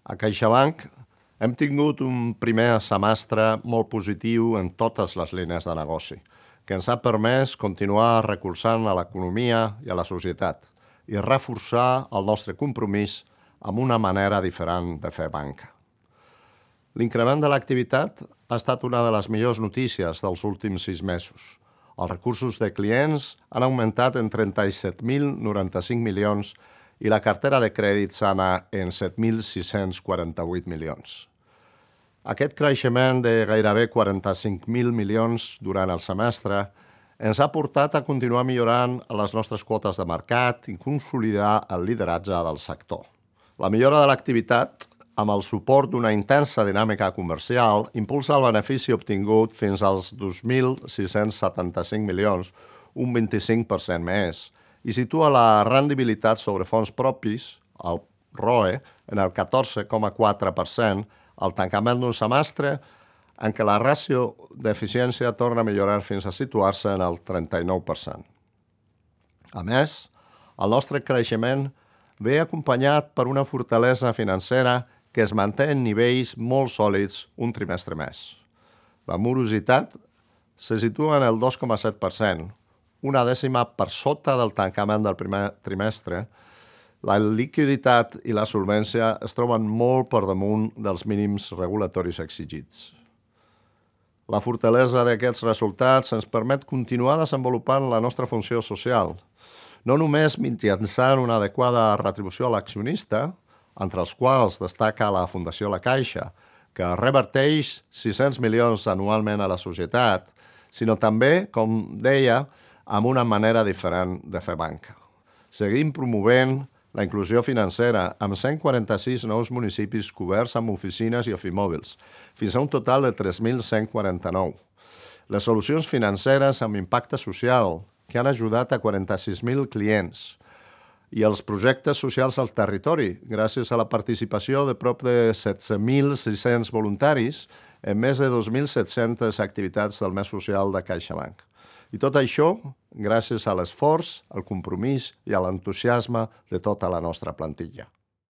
A CaixaBank hem tingut un primer semestre molt positiu en totes les línies de negoci, que ens ha permès continuar recolzant a l'economia i a la societat i reforçar el nostre compromís amb una manera diferent de fer banca. L'increment de l'activitat ha estat una de les millors notícies dels últims 6 mesos. Els recursos de clients han augmentat en 37.095 milions i la cartera de crèdit sana en 7.648 milions. Aquest creixement de gairebé 45.000 milions durant el semestre ens ha portat a continuar millorant les nostres quotes de mercat i consolidar el lideratge del sector. La millora de l'activitat, amb el suport d'una intensa dinàmica comercial, impulsa el benefici obtingut fins als 2.675 milions, un 25% més, i situa la rendibilitat sobre fons propis, el ROE, en el 14,4%, al tancament d'un semestre en què la ràtio d'eficiència torna a millorar fins a situar-se en el 39%. A més, el nostre creixement ve acompanyat per una fortalesa financera que es manté en nivells molt sòlids un trimestre més. La morositat se situa en el 2,7%, una dècima per sota del tancament del primer trimestre. La liquiditat i la solvència es troben molt per damunt dels mínims regulatoris exigits. La fortalesa d'aquests resultats ens permet continuar desenvolupant la nostra funció social, no només mitjançant una adequada retribució a l'accionista, entre els quals destaca la Fundació La Caixa, que reverteix 600 milions anualment a la societat, sinó també, com deia, amb una manera diferent de fer banca. Seguim promovent la inclusió financera amb 146 nous municipis coberts amb oficines i ofimòbils, fins a un total de 3.149. Les solucions financeres amb impacte social, que han ajudat a 46.000 clients, i els projectes socials al territori, gràcies a la participació de prop de 17.600 voluntaris en més de 2.700 activitats del mes social de CaixaBank. I tot això gràcies a l'esforç, al compromís i a l'entusiasme de tota la nostra plantilla.